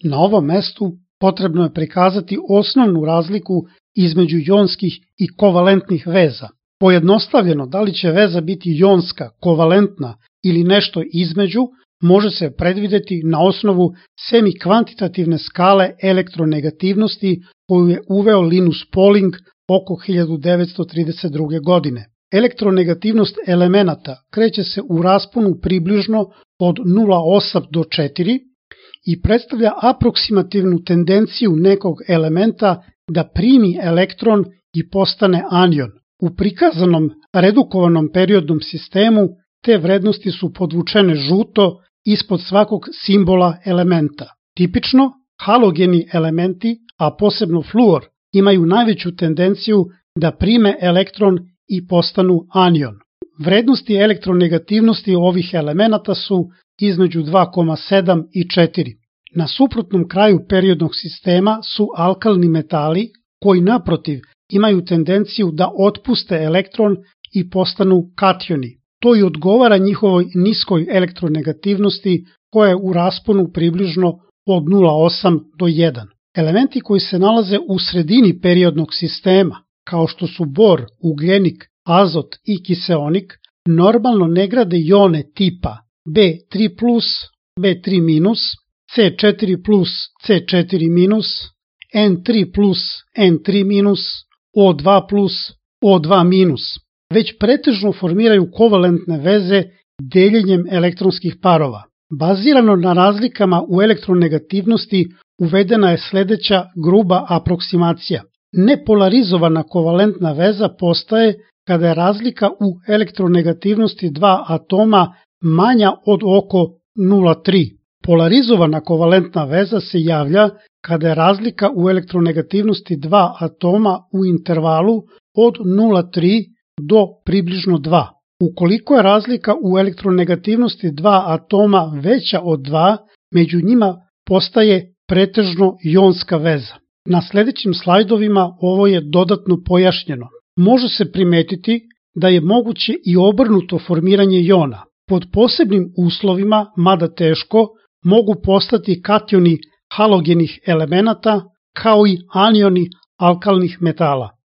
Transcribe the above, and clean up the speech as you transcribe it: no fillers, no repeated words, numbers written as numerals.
Na ovom mestu potrebno je prikazati osnovnu razliku između jonskih i kovalentnih veza. Pojednostavljeno, da li će veza biti jonska, kovalentna ili nešto između, može se predvideti na osnovu semikvantitativne skale elektronegativnosti koju je uveo Linus Pauling oko 1932. godine. Elektronegativnost elemenata kreće se u rasponu približno od 0,8 do 4 i predstavlja aproksimativnu tendenciju nekog elementa da primi elektron i postane anion. U prikazanom redukovanom periodnom sistemu te vrednosti su podvučene žuto ispod svakog simbola elementa. Tipično, halogeni elementi, a posebno fluor, imaju najveću tendenciju da prime elektron i postanu anion. Vrednosti elektronegativnosti ovih elemenata su između 2,7 i 4. Na suprotnom kraju periodnog sistema su alkalni metali koji naprotiv imaju tendenciju da otpuste elektron i postanu kationi. To i odgovara njihovoj niskoj elektronegativnosti koja je u rasponu približno od 0,8 do 1. Elementi koji se nalaze u sredini periodnog sistema, kao što su bor, ugljenik, azot i kiseonik, normalno ne grade jone tipa B3+, B3-, C4+, C4-, N3+, N3-, O2+, O2-, već pretežno formiraju kovalentne veze deljenjem elektronskih parova. Bazirano na razlikama u elektronegativnosti uvedena je sledeća gruba aproksimacija. Nepolarizovana kovalentna veza postaje kada je razlika u elektronegativnosti dva atoma manja od oko 0,3. Polarizovana kovalentna veza se javlja kada je razlika u elektronegativnosti dva atoma u intervalu od 0,3 do približno 2. Ukoliko je razlika u elektronegativnosti dva atoma veća od 2, među njima postaje pretežno jonska veza. Na sledećim slajdovima ovo je dodatno pojašnjeno. Može se primetiti da je moguće i obrnuto formiranje jona. Pod posebnim uslovima, mada teško, mogu postati kationi halogenih elemenata kao i anioni alkalnih metala.